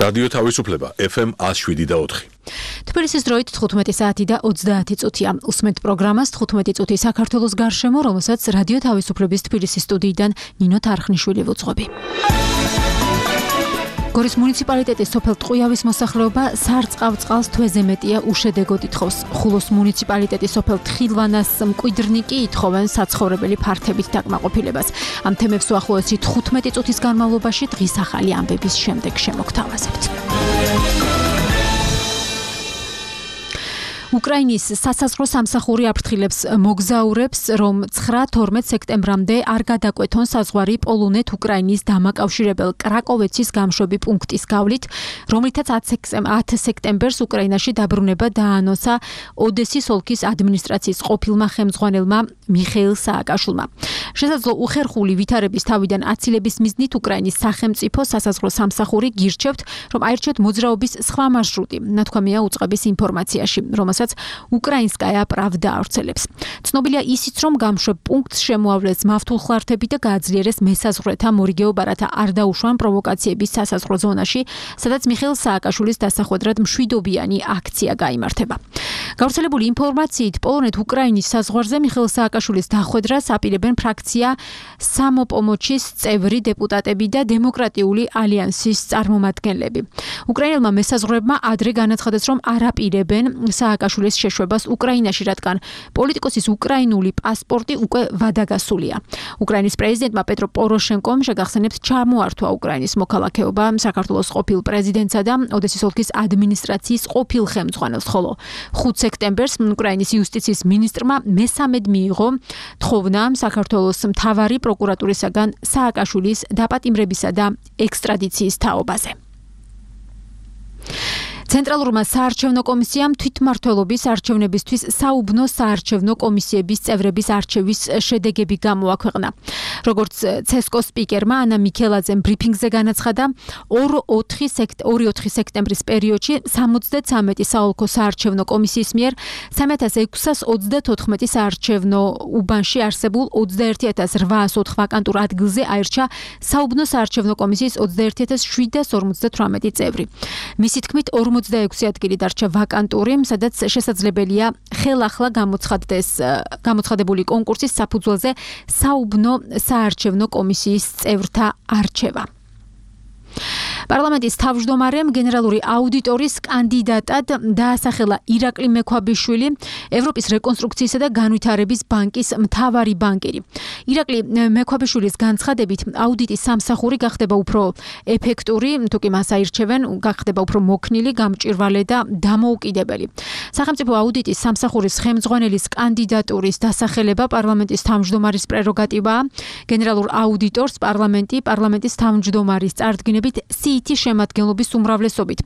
რადიო თავისუფლება FM 107.4. თბილისის დროით 15 საათი და 30 წუთია. უსმენთ პროგრამას 15 წუთი საქართველოს გარშემო, რომელსაც რადიო თავისუფლების თბილისის სტუდიიდან ნინო თარხნიშვილი ვუძღვები. გორის მუნიციპალიტეტის სოფელ ტყუიავის მოსახლეობა სარწყავ წყალს თვეზე მეტია უშედეგოდ ითხოვს. ხულოს მუნიციპალიტეტის სოფელ თხილვანას მკვიდრნი კი ითხოვენ საცხოვრებელი ფართებით დაკმაყოფილებას. ამ თემებს უახლოესი 15 წუთის განმავლობაში დღის ახალი ამბების შემდეგ შემოგთავაზებთ. უკრაინის სასაზღვრო სამსახური აფრთხილებს მოგზაურებს, რომ 9-12 სექტემბრამდე არ გადაკვეთონ საზღვარი პოლონეთ-უკრაინის დამაკავშირებელ კრაკოვეცის გამშვები პუნქტის გავლით, რომლითაც 10 სექტემბერს უკრაინაში დაბრუნება დაანონსა ოდესის ოლქის ადმინისტრაციის ყოფილმა ხელმძღვანელმა მიხეილ სააკაშვილმა. შესაძლო უხერხული ვითარების თავიდან აცილების მიზნით უკრაინის სახელმწიფო სასაზღვრო სამსახური გირჩევთ, რომ აირჩიოთ მოძრაობის სხვა მარშრუტი, ნათქვამია უწყების ინფორმაციაში, რომელსაც უკრაინსკაია პრავდა ავრცელებს. ცნობილია ისიც, რომ გამშვებ პუნქტს შემოავლეს მავთულხლართები და გააძლიერეს მესაზღვრეთა მორიგეობა, რათა არ დაუშვან პროვოკაციების სასაზღვრო ზონაში, სადაც მიხეილ სააკაშვილის დასახვედრად მშვიდობიანი აქცია გაიმართება. გავრცელებული ინფორმაციით, პოლონეთ-უკრაინის საზღვარზე მიხეილ სააკაშვილის დახვედრას აპირებენ ფრაქცია სამოპომოჩის წევრი დეპუტატები და დემოკრატიული ალიანსის წარმომადგენლები. უკრაინელმა მესაზღვრეებმა ადრე განაცხადეს, რომ არ აპირებენ სააკაშვილის შეშვებას უკრაინაში, რადგან პოლიტიკოსის უკრაინული პასპორტი უკვე ვადაგასულია. უკრაინის პრეზიდენტმა პეტრო პოროშენკომ შეგახსენებს ჩამოართვა უკრაინის მოქალაქეობა საქართველოს ყოფილ პრეზიდენტსა და ოდესის ოლქის ადმინისტრაციის ყოფილ ხელმძღვანელს, ხოლო 5 სექტემბერს უკრაინის იუსტიციის მინისტრმა მესამედ მიიღო თხოვნა საქართველოს მთავარი პროკურატურისაგან სააკაშვილის დაპატიმრებისა და ექსტრადიციის თაობაზე. ცენტრალურმა საარჩევნო კომისიამ თვითმმართველობის არჩევნებისთვის საუბნო საარჩევნო კომისიების წევრების არჩევის შედეგები გამოაქვეყნა. როგორც ცესკოს სპიკერმა ანა მიქელაძემ ბრიფინგზე განაცხადა, 2-4 სექტემბრის პერიოდში 73 საოლქო საარჩევნო კომისიის მიერ 3634 საარჩევნო უბანში არსებულ 21804 ვაკანტურ ადგილზე აირჩა საუბნო საარჩევნო კომისიის 21758 წევრი. მისი თქმით, 46 ადგილი დარჩა ვაკანტური, სადაც შესაძლებელია ხელახლა გამოცხადებული კონკურსის საფუძველზე საუბნო საარჩევნო კომისიის წევრთა არჩევა. პარლამენტის თავმჯდომარემ გენერალური აუდიტორის კანდიდატად დაასახელა ირაკლი მექვაბიშვილი, ევროპის რეკონსტრუქციისა და განვითარების ბანკის მთავარი ბანკირი. ირაკლი მექვაბიშვილის განცხადებით, აუდიტის სამსახური გახდება უფრო ეფექტური, თუკი მას აირჩევენ, გახდება უფრო მოქნილი, გამჭვირვალე და დამოუკიდებელი. სახელმწიფო აუდიტის სამსახურის ხელმძღვანელის კანდიდატურის დასახელება პარლამენტის თავმჯდომარის პრეროგატივაა. გენერალურ აუდიტორს პარლამენტის თავმჯდომარის წარდგინებით სიითი შემადგენლობის უმრავლესობით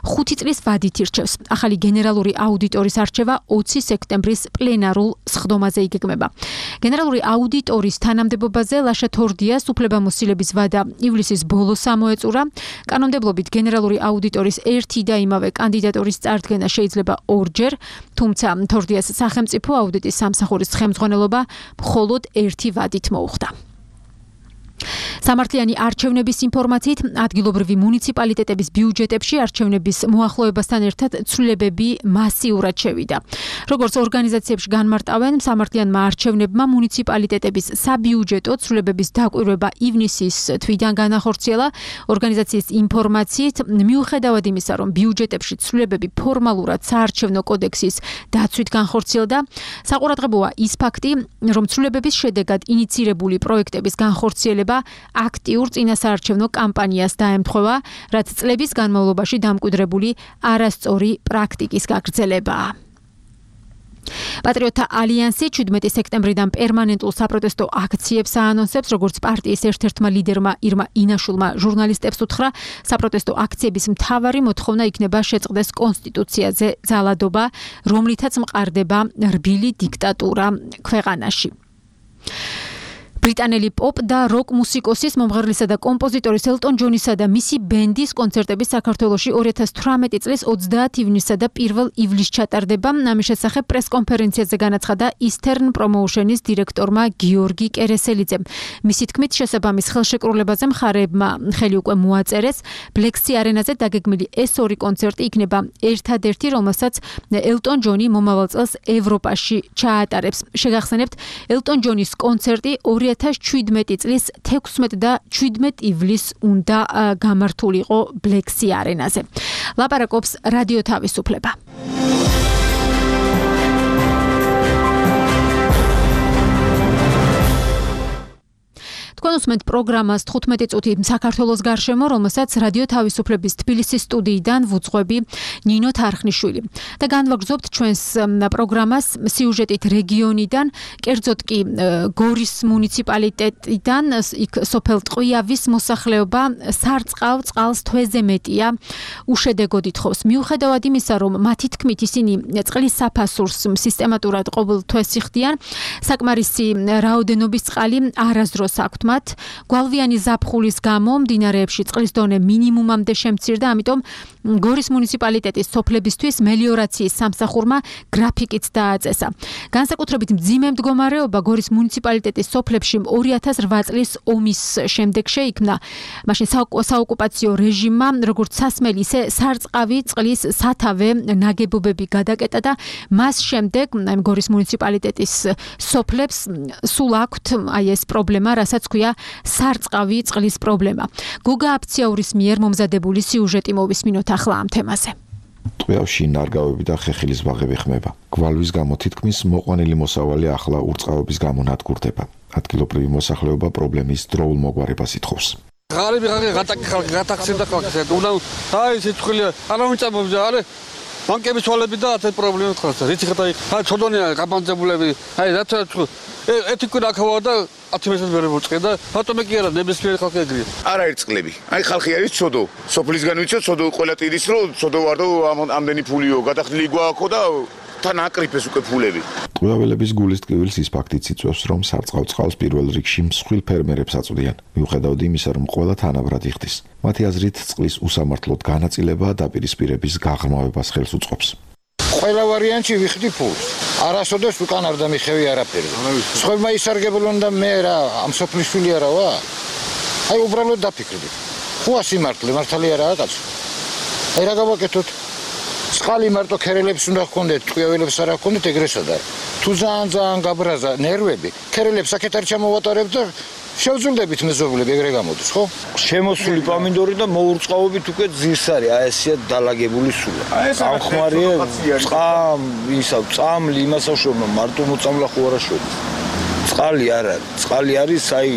5 წლის ვადით ირჩევს. ახალი გენერალური აუდიტორის არჩევა 20 სექტემბრის პლენარულ სხდომაზე იგეგმება. გენერალური აუდიტორის თანამდებობაზე ლაშა თორდიას უფლებამოსილების ვადა ივლისის ბოლოს ამოეწურა. კანონმდებლობით გენერალური აუდიტორის ერთი და იმავე კანდიდატურის წარდგენა შეიძლება ორჯერ, თუმცა თორდიას სახელმწიფო აუდიტის სამსახურის ხელმძღვანელობა მხოლოდ ერთი ვადით მოუხდა. სამართლიანი არჩევნების ინფორმაციით, ადგილობრივი მუნიციპალიტეტების ბიუჯეტებში არჩევნების მოახლოებასთან ერთად ცვლილებები მასიურად შევიდა. როგორც ორგანიზაციებში განმარტავენ, სამართლიანმა არჩევნებმა მუნიციპალიტეტების საბიუჯეტო ცვლილებების დაკვირვება ივნისის თვიდან განახორციელა. ორგანიზაციის ინფორმაციით, მიუხედავად იმისა, რომ ბიუჯეტებში ცვლილებები ფორმალურად საარჩევნო კოდექსის დაცვით განხორციელდა, საყურადღებოა ის ფაქტი, რომ ცვლილებების შედეგად ინიცირებული პროექტების განხორციელება აქტიურ წინასაარჩევნო კამპანიას დაემთხვევა, რაც წლების განმავლობაში დამკვიდრებული არასწორი პრაქტიკის გაგრძელებაა. პატრიოტთა ალიანსი 17 სექტემბრიდან პერმანენტულ საპროტესტო აქციებს აანონსებს, როგორც პარტიის ერთ-ერთმა ლიდერმა ირმა ინაშულმა ჟურნალისტებს უთხრა, საპროტესტო აქციების მთავარი მოთხოვნა იქნება შეწყდეს კონსტიტუციაზე ძალადობა, რომლითაც მყარდება რბილი დიქტატურა ქვეყანაში. ბრიტანელი პოპ და როკ მუსიკოსის, მომღერლისა და კომპოზიტორის ელტონ ჯონისა და მისი ბენდის კონცერტები საქართველოში 2018 წლის 30 ივნისსა და 1 ივლისს ჩატარდება. ამის შესახებ პრესკონფერენციაზე განაცხადა Eastern Promotion-ის დირექტორმა გიორგი კერესელიძემ. მისი თქმით, შესაბამის ხელშეკრულებაზე მხარეებმა ხელი უკვე მოაწერეს. Black-Sea არენაზე დაგეგმილი ეს ორი კონცერტი იქნება ერთადერთი, რომელსაც ელტონ ჯონი მომავალ წელს ევროპაში ჩაატარებს. შეგახსენებთ, ელტონ ჯონის კონცერტი 2017 წლის 16 და 17 ივლისს უნდა გამართულიყო Black-Sea არენაზე. ლაპარაკობს რადიო თავისუფლება. თქვენ უსმენთ პროგრამას 15 წუთი საქართველოს გარშემო, რომელსაც რადიო თავისუფლების თბილისის სტუდიიდან ვუძღვები ნინო თარხნიშვილი. და განვაგრძობთ ჩვენს პროგრამას სიუჟეტით რეგიონიდან, კერძოდ კი გორის მუნიციპალიტეტიდან, იქ სოფელ ტყვიავის მოსახლეობა სარწყავ წყალს თვეზე მეტია უშედეგოდ ითხოვს. მიუხედავად იმისა, რომ მათი თქმით ისინი წყლის საფასურს სისტემატურად ყოველ თვეს იხდიან, საკმარისი რაოდენობის წყალი არასდროს აქვთ. გვალვიანი ზაფხულის გამო მდინარეებში წყლის დონე მინიმუმამდე შემცირდა, ამიტომ გორის მუნიციპალიტეტის სოფლებისთვის მელიორაციის სამსახურმა გრაფიკიც დააწესა. განსაკუთრებით მძიმე მდგომარეობა გორის მუნიციპალიტეტის სოფლებში 2008 წლის ომის შემდეგ შეიქმნა. მაშინ საოკუპაციო რეჟიმმა როგორც სასმელი, ისე სარწყავი წყლის სათავე ნაგებობები გადაკეტა და მას შემდეგ გორის მუნიციპალიტეტის სოფლებს სულ აქვთ ეს პრობლემა, რასაც ქვია სარწყავი წყლის პრობლემა. გოგა აფციაურის მიერ მომზადებული სიუჟეტი მოვისმინოთ ახლა ამ თემაზე. ტყვიავში ნარგავები და ხეხილის ბაღები ხმება. გვალვის გამო თითქმის მოყვანილი მოსავალი ახლა ურწყავების გამო ნადგურდება. ადგილობრივი მოსახლეობა პრობლემის დროულ მოგვარებას ითხოვს. ღარიბი გატაქსირდა ხალხს. აი სიცხილი არავინ არა ბანკების თვალები და ეს პრობლემა ხარ. რითი ხარ აი ცოდონია გაბანძებულები. აი რაც ეთიკურ აქავა და 10 მეტრს ვერ მოწყე და ბატონე კი არა ნებისმიერი ხალხი ეგრეა. არაერთ წყლები. აი ხალხი არის ცოდო. სოფლისგან ვიცი ცოდო ყველა ტირის რო ცოდო ვარ და ამდენი ფულიო გადახდილი გვააქო და თან აკრიფეს უკვე ფულები. ტყვიაველების გულის ტკივილს ის ფაქტიც იწვევს, რომ სარწყავ წყალს პირველ რიგში მსხვილ ფერმერებს აწვდიან, მიუხედავად იმისა, რომ ყველა თანაბრად იხდის. მათი აზრით, წყლის უსამართლოდ განაწილება დაპირისპირების გაღრმავებას ხელს უწყობს. ყველა ვარიანტი ვიხდი ფულს. არასოდეს უკან არ დამიხევი არაფერი. სხვებმა ისარგებლონ და მე რა ამ სოფლის შვილი არა ვარ. აი უბრალოდ დაფიქრდი. ხუა სიმართლე, მართალი არაა კაცო. აი რა გავაკეთოთ? წყალი მარტო ქერელებს უნდა გქონდეთ, ტყვიაველებს არ გქონდეთ, ეგრესა და თუ ძალიან გაბრაზა ნერვები, ქერელებს აქეთ არ ჩამოვატარებ და შევძულდებით მეზობლები, ეგრე გამოდის, ხო? შემოსული პამინდორი და მოურწყავობით უკვე ძირს არის, აი ესეა დალაგებული სულა. ამ ხმარია წამლი იმასავშორმა მარტო მოწამლა ხო არა შვედი. წყალი არ არის, წყალი არის აი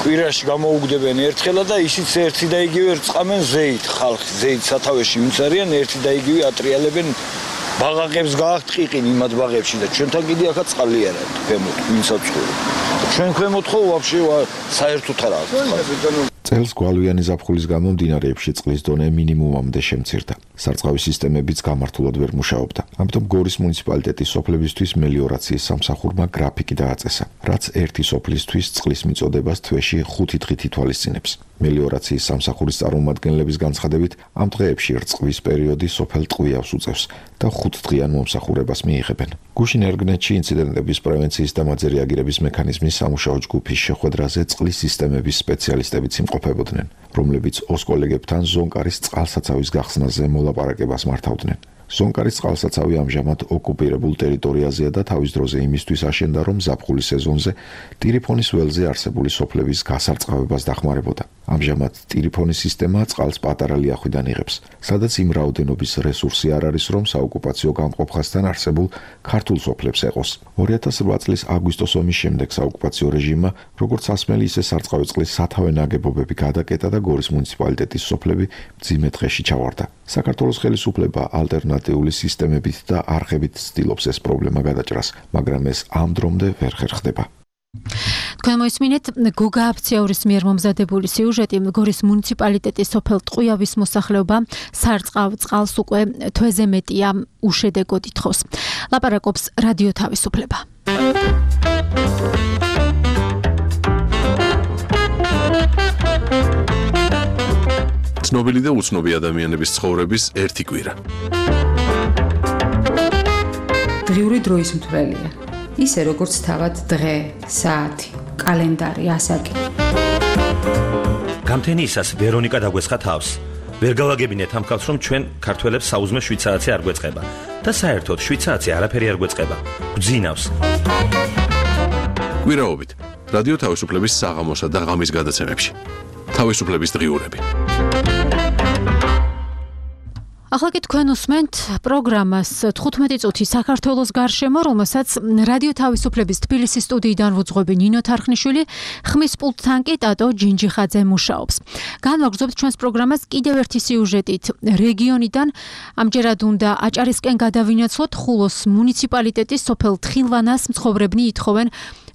კვირაში გამოუგდებენ ერთხელა და ისიც ერთი და იგივე რწყამენ ზეით ხალხი, ზეით სათავეში ვინც არიან, ერთი და იგივე ატრიალებენ ბაღაკებს გააქვთ ყიყინი იმათ ბაღებში და ჩვენთან კიდე ახლა წყალი არ არის, ქვემოთ, ვინცაც ცხოვრობ. ჩვენ ქვემოთ ხო ვაფშე საერთოდ არ აქვს. წელს გვალვიანი ზაფხულის გამო მდინარეებში წყლის დონე მინიმუმამდე შემცირდა. სარწყავი სისტემებიც გამართულად ვერ მუშაობდა. ამიტომ გორის მუნიციპალიტეტის სოფლებისთვის მელიორაციის სამსახურმა გრაფიკი დააწესა, რაც ერთი სოფლისთვის წყლის მიწოდებას თვეში 5 დღით ითვალისწინებს. მელიორაციის სამსახურის წარმომადგენლების განცხადებით, ამ დღეებში რწყვის პერიოდი სოფელ ტყვიავს უწევს და 5 დღიან მომსახურებას მიიღებენ. გუშინ ერგნეთში ინციდენტების პრევენციის და მათზე რეაგირების მექანიზმის სამუშაო ჯგუფის შეხვედრაზე წყლის სისტემების სპეციალისტებიც იმყოფებოდნენ, რომლებიც ოს კოლეგებთან ზონკარის წყალსაცავის გახსნაზე მოლაპარაკებას მართავდნენ. ზონკარის წყალსაცავი ამჟამად ოკუპირებულ ტერიტორიაზეა და თავის დროზე იმისთვის აშენდა, რომ ზაფხულის სეზონზე ტირიფონის ველზე არსებული სოფლების გასარწყავებას დახმარებოდა. ამჟამად ტირიფონის სისტემა წყალს პატარა ლიახვიდან იღებს, სადაც იმ რაოდენობის რესურსი არ არის, რომ საოკუპაციო გამყოფხასთან არსებულ ქართულ სოფლებს ეყოს. 2008 წლის აგვისტოს ომის შემდეგ საოკუპაციო რეჟიმმა როგორც სასმელი, ისე სარწყავი წყლის სათავე ნაგებობები გადაკეტა და გორის მუნიციპალიტეტის სოფლები მძიმე დღეში ჩავარდა. საქართველოს ხელისუფლება ალტერნატიული სისტემებით და არხებით ცდილობს ეს პრობლემა გადაჭრას, მაგრამ ეს ამ დრომდე ვერ ხერხდება. თქვენ მოისმინეთ გოგა აფციაურის მიერ მომზადებული სიუჟეტი. გორის მუნიციპალიტეტის სოფელ ტყვიავის მოსახლეობა სარწყავ წყალს უკვე თვეზე მეტია უშედეგოდ ითხოვს. ლაპარაკობს რადიო თავისუფლება. ცნობილი და უცნობი ადამიანების ცხოვრების ერთი კვირა. დღიური დროის მთვრელია. ისე როგორც თავად დღე, საათი, კალენდარი, ასაკი. გამთენიისას ვერონიკა დაგვესხა თავს. ვერ გავაგებინეთ ამ ხალხს, რომ ჩვენ ქართველებს საუზმე 7 საათი არ გვეწყება და საერთოდ 7 საათი არაფერი არ გვეწყება. გვძინავს. კვირაობით რადიო თავისუფლების საღამოსა და ღამის გადაცემებში. თავისუფლების დღიურები. ახლა კი თქვენ უსმენთ პროგრამას 15 წუთი საქართველოს გარშემო, რომელსაც რადიო თავისუფლების თბილისის სტუდიიდან ვუძღვები ნინო თარხნიშვილი, ხმის პულტთან კი ტატო ჯინჯიხაძე მუშაობს. განვაგრძობთ ჩვენს პროგრამას კიდევ ერთი სიუჟეტით რეგიონიდან. ამჯერად უნდა აჭარისკენ გადავინაცვლოთ ხულოს მუნიციპალიტეტის სოფელ თხილვანას მცხოვრებნი ითხოვენ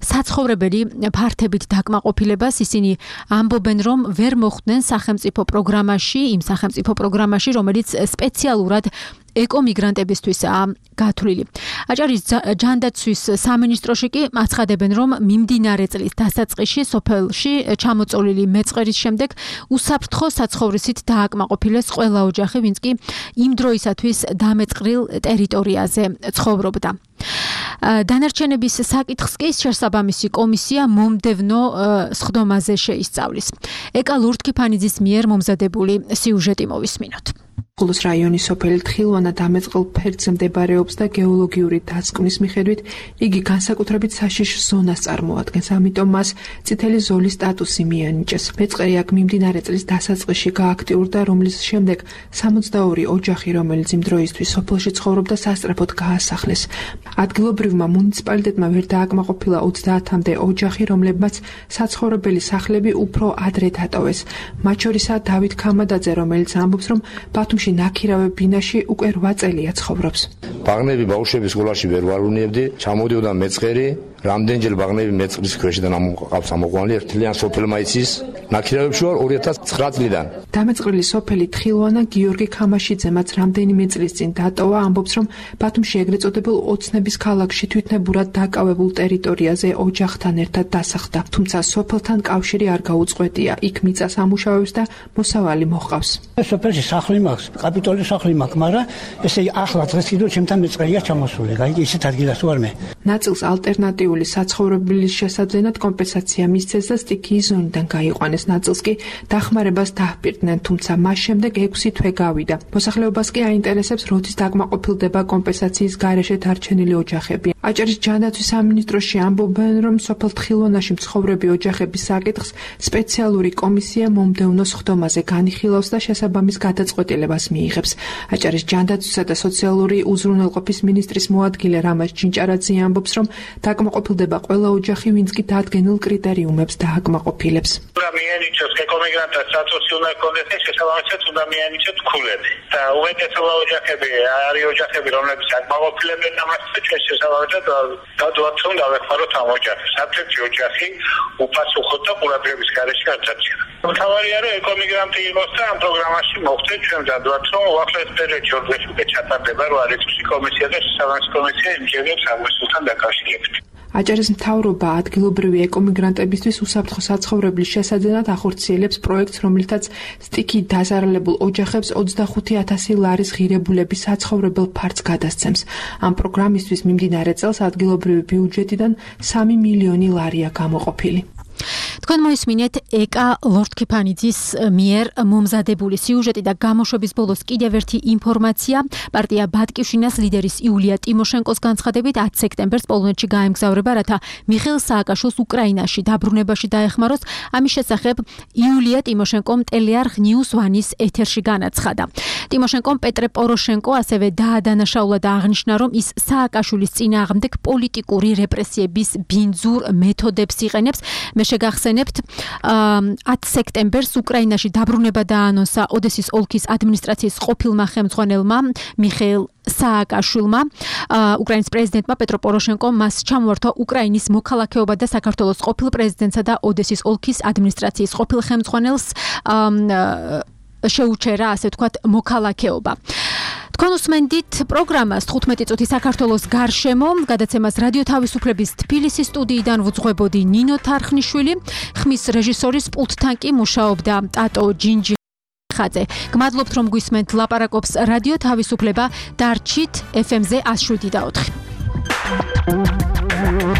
საცხოვრებელი ფართებით დაკმაყოფილებას. ისინი ამბობენ, რომ ვერ მოხვდნენ სახელმწიფო პროგრამაში, იმ სახელმწიფო პროგრამაში, რომელიც სპეციალურად ეკომიგრანტებისთვისაა გათვლილი. აჭარის ჯანდაცვის სამინისტროში კი აცხადებენ, რომ მიმდინარე წლის დასაწყისში სოფელში ჩამოწოლილი მეწყერის შემდეგ უსაფრთხო საცხოვრისით დააკმაყოფილეს ყველა ოჯახი, ვინც კი იმ დროისათვის დამეწყრილ ტერიტორიაზე ცხოვრობდა. დანარჩენების საკითხს კი შესაბამისი კომისია მომდევნო სხდომაზე შეისწავლის. ეკა ლურთქიფანიძის მიერ მომზადებული სიუჟეტი მოვისმინოთ. ხულოს რაიონის სოფელი თხილვანა დამეწყრილ ფერდზე მდებარეობს და გეოლოგიური დასკვნის მიხედვით იგი განსაკუთრებით საშიშ ზონას წარმოადგენს, ამიტომ მას წითელი ზოლის სტატუსი მიანიჭეს. მეწყერი აქ მიმდინარე წლის დასაწყისში გააქტიურდა, რომლის შემდეგ 62 ოჯახი, რომელიც იმ დროისთვის სოფელში ცხოვრობდა, სასწრაფოდ გაასახლეს. ადგილობრივმა მუნიციპალიტეტმა ვერ დააკმაყოფილა 30-მდე ოჯახი, რომლებმაც საცხოვრებელი სახლები უფრო ადრე დატოვეს. მათ შორისაა დავით ქამადაძე, რომელიც ამბობს, რომ ბათუმში ნაქირავე ბინაში უკვე 8 წელია ცხოვრობს. ბაღნები ბავშვების სკოლაში ვერ ვარუნებდი, ჩამოდიოდა მეწყერი, რამდენჯერ ბაღნები მეწყრის ქვეშიდან ამოყავს ამოყვანილი, ერთლიან სოფელმა იცის. ნაქირავებში ვარ 2009 წლიდან. დამეწყრილი სოფელი თხილვანა გიორგი ქამაშიძე, მათ რამდენიმე წლის წინ დატოვა, ამბობს, რომ ბათუმში ეგრეთ წოდებულ ოცნების ქალაქში თვითნებურად დაკავებულ ტერიტორიაზე ოჯახთან ერთად დასახლდა. თუმცა სოფელთან კავშირი არ გაუწყვეტია. იქ მიწას ამუშავებს და მოსავალი მოჰყავს. სოფელში სახლი მაქვს, კაპიტოლის სახლი მაქვს, მაგრამ ესე ახლა დღეს კიდევ ჩემთან მეწყერია ჩამოსული. გაიგე, ისეთ ადგილას ვარ მე. ნაწილს ალტერნატიული საცხოვრებლის შესაძლებლად კომპენსაცია მისცეს და სტიქიის ზონიდან გაიყვანეს. ნაწილს კი დახმარებას დაჰპირდნენ, თუმცა მას შემდეგ 6 თვე გავიდა. მოსახლეობას კი აინტერესებს, როდის დაკმაყოფილდება კომპენსაციის გარეშე დარჩენილი ოჯახები. აჭარის ჯანდაცვის სამინისტროში ამბობენ, რომ სოფელ თხილვანაში მცხოვრები ოჯახების საკითხს სპეციალური კომისია მომდევნო სხდომაზე განიხილავს და შესაბამის გადაწყვეტილებას მიიღებს. აჭარის ჯანდაცვისა და სოციალური უზრუნველყოფის მინისტრის მოადგილე რამაზ ჩინჭარაძე ამბობს, რომ დაკმაყოფილდება ყველა ოჯახი, ვინც კი დადგენილ კრიტერიუმებს დააკმაყოფილებს. უნდა მიენიჭოს ეკომიგრანტთა სტატუსი უნდა ჰქონდეს და შესაბამისად უნდა მიენიჭოს ქულები. და უმეტესობა ოჯახები არის ოჯახები, რომლებიც აკმაყოფილებენ ამას და ჩვენ შესაბამისად გადავთ რომ დავეხმაროთ ამ ოჯახებს. საფრთხე ოჯახი უპასუხოდ და ყურადღების გარეშე არ დარჩება. მთავარია რომ ეკომიგრანტი იყოს და ამ პროგრამაში მოხდეს, ჩვენ დავთ რომ უახლოეს პერიოდში ორდრეში უკვე ჩატარდება რა არის კომისია და შესაბამისი კომისია იმჯერებს აღმოსულთან დაკავშირებით. აჭარის მთავრობა ადგილობრივი ეკომიგრანტებისთვის უსაფრთხო საცხოვრებლის შესაძლებლად ახორციელებს პროექტს, რომლითაც სტიქით დაზარალებულ ოჯახებს 25,000 ლარის ღირებულების საცხოვრებელ ფართს გადასცემს. ამ პროგრამისთვის მიმდინარე წელს ადგილობრივი ბიუჯეტიდან 3 მილიონი ლარია გამოყოფილი. თქვენ მოისმინეთ ეკა ლორთქიფანიძის მიერ მომზადებული სიუჟეტი და გამოშვების ბოლოს კიდევ ერთი ინფორმაცია. პარტია ბატკივშინას ლიდერის იულია ტიმოშენკოს განცხადებით 10 სექტემბერს პოლონეთში გაემგზავრება, რათა მიხეილ სააკაშვილს უკრაინაში დაბრუნებაში დაეხმაროს. ამის შესახებ იულია ტიმოშენკომ ტელეარხ News One-ის ეთერში განაცხადა. ტიმოშენკომ პეტრე პოროშენკო ასევე დაადანაშაულა და აღნიშნა, რომ ის სააკაშვილის წინააღმდეგ პოლიტიკური რეპრესიების ბინძურ მეთოდებს იყენებს. მე შეგახსენებთ 10 სექტემბერს უკრაინაში დაბრუნება დაანონსა ოდესის ოლქის ადმინისტრაციის ყოფილმა ხელმძღვანელმა მიხეილ სააკაშვილმა. უკრაინის პრეზიდენტმა პეტრო პოროშენკომ მას ჩამოართვა უკრაინის მოქალაქეობა და საქართველოს ყოფილ პრეზიდენტსა და ოდესის ოლქის ადმინისტრაციის ყოფილ ხელმძღვანელს შეუჩერა, ასე ვთქვათ, მოქალაქეობა. თქვენ უსმენდით პროგრამას 15 წუთი საქართველოს გარშემო, გადაცემას რადიო თავისუფლების თბილისის სტუდიიდან ვუძღვებოდი ნინო თარხნიშვილი, ხმის რეჟისორის პულტთან კი მუშაობდა ტატო ჯინჯი ხაძე. გმადლობთ რომ გვისმენთ ლაპარაკობს რადიო თავისუფლება. დარჩით FM-ზე 107.4.